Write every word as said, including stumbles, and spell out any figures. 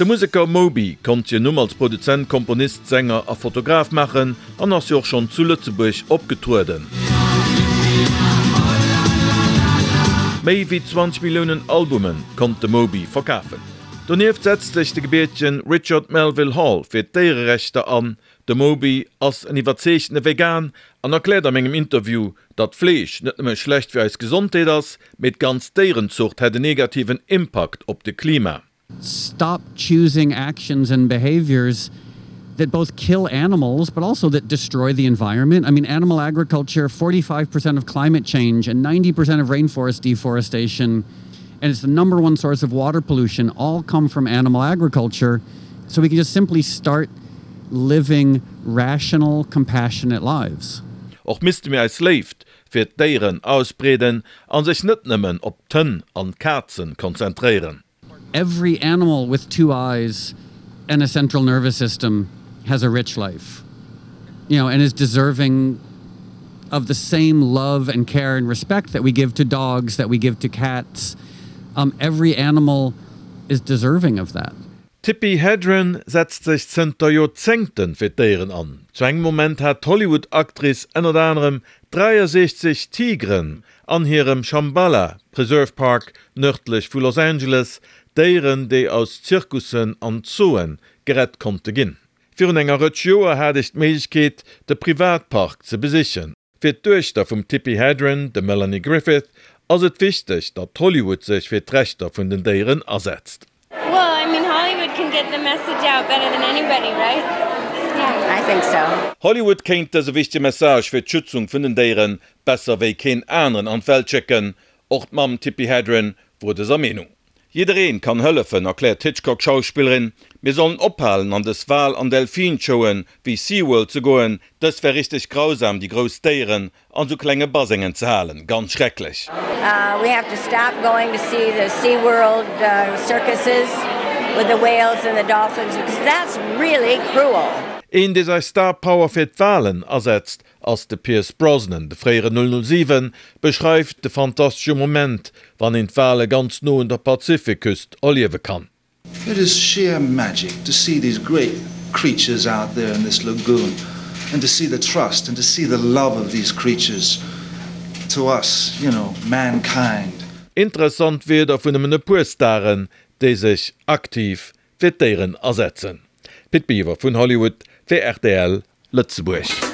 De Museker Moby konnt sech en Numm als Produzent, Komponist, Sänger a Fotograf maachen an ass jo och schonn zu Lëtzebuerg opgetrueden. Méi wéi zwanzeg Milliounen Albume konnt de Moby verkafen. Donieft setzt sech de gebiertegen Richard Melville Hall fir d'Déiererechter an. De Moby ass en iwwerzeegtene Vegan an erkläert a mengem Interview, datt Fleesch net nëmme schlecht fir eis Gesondheet ass, mee d'ganz Déierenzucht hätt en negativen Impakt op de Klima. Stop choosing actions and behaviors that both kill animals but also that destroy the environment. I mean animal agriculture, forty five percent of climate change and ninety percent of rainforest deforestation and it's the number one source of water pollution all come from animal agriculture. So we can just simply start living rational, compassionate lives. Och misste mir eis Léift fir d'Déieren ausbreeden a sech net nëmmen op d'Hënn an d'Kazen konzentréieren. Every animal with two eyes and a central nervous system has a rich life, you know, and is deserving of the same love and care and respect that we give to dogs, that we give to cats. Um, every animal is deserving of that. D'Tippi Hedren setzt sech zënter Joerzéngte fir d'Déieren an. Zu engem Moment hat d'Hollywood-Actrice ënnert anerem dräiasechzeg Tigeren an hirem Shambhala Preserve Park nërdlech vu Los Angeles, Déieren, déi aus Zirkussen an Zooe gerett konnte ginn. Virun enger Rëtsch Joer hat ech d'Méiglechkeet, de Privatpark ze besichen. Fir d'Duechter vum Tippi Hedren, dem Melanie Griffith, ass et wichteg, datt Hollywood sech fir d'Rechter vun den Déieren asetzt. Hollywood kéint dëse wichtege Message fir d'Schützung vun den Déiere besser wéi keen aneren an d'Welt schécken. Och d'Mamm Tippi Hedren wor dëser Meenung. Jiddereen kann hëllefen, erkläert d'Hitchcock-Schauspillerin. Mir sollen ophalen an dës Wal an Delfin-Showen wéi SeaWorld ze goen. Dës wär richteg grausam, déi grouss Déieren an sou klenge Basengen ze halen, ganz schrecklech. We have to stop going to see the SeaWorld circuses with the whales and the dolphins because that's really cruel. Een dee säi Star Power fir d'Walen asetzt ass de Pierce Brosnan. De fréiere null null siwen beschreift de fantastesche Moment wann een d'Wale ganz no un der Pazifikküst erliewe kann. It is sheer magic to see these great creatures out there in this lagoon and to see the trust and to see the love of these creatures to us, you know, mankind. Interessant Wierder vun nëmmen e puer Staren, déi sech aktiv fir d'Déieren asetzen. Pit Biwer vun Hollywood fir rtl Lëtzebuerg.